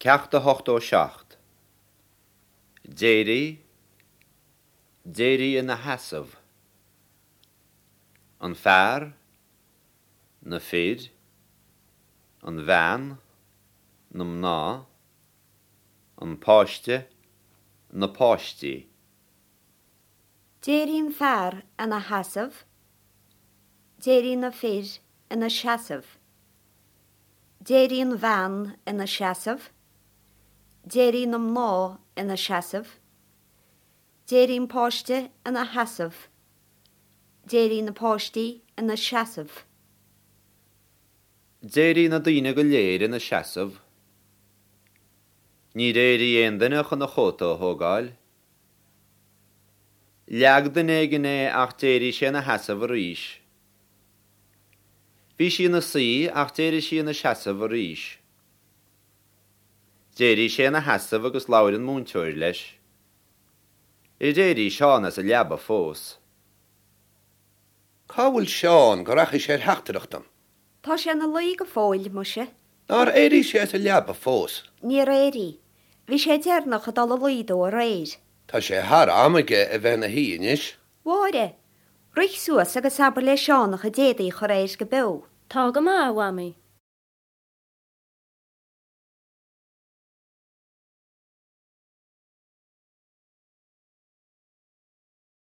Ceacht 87. D'éirigh, d'éirigh ina sheasamh. An fear, na fir, an bhean, na mná, an páiste, na páistí. D'éirigh an fear ina sheasamh, d'éirigh na fir ina seasamh. D'éirigh an bhean ina seasamh. D'éirigh na mná ina seasamh. D'éirigh an páiste ina sheasamh. D'éirigh na páistí ina seasamh. D'éirigh na daoine go léir ina seasamh. Níor éirigh aon duine chun a chóta a thógáil. Leag duine éigin é ach d'éirigh sé ina sheasamh arís. Bhí sí ina suí ach d'éirigh sí ina seasamh arís. D'éirigh sé ina sheasamh agus labhair an múinteoir leis. Ar éirigh Seán as a leaba fós? Cá bhfuil Seán go rachaidh sé ar theachtaireacht dom? Tá sé ina luí go fóill, muise. Nár éirigh sé as a leaba fós? Níor éirigh. Bhí sé deireanach ag dul a luí dó aréir. Tá sé thar am aige a bheith ina shuí anois. Mháire, Rith suas agus abair le Seán a chuid éadaí a chur air go beo. Tá go maith, a Mhamaí.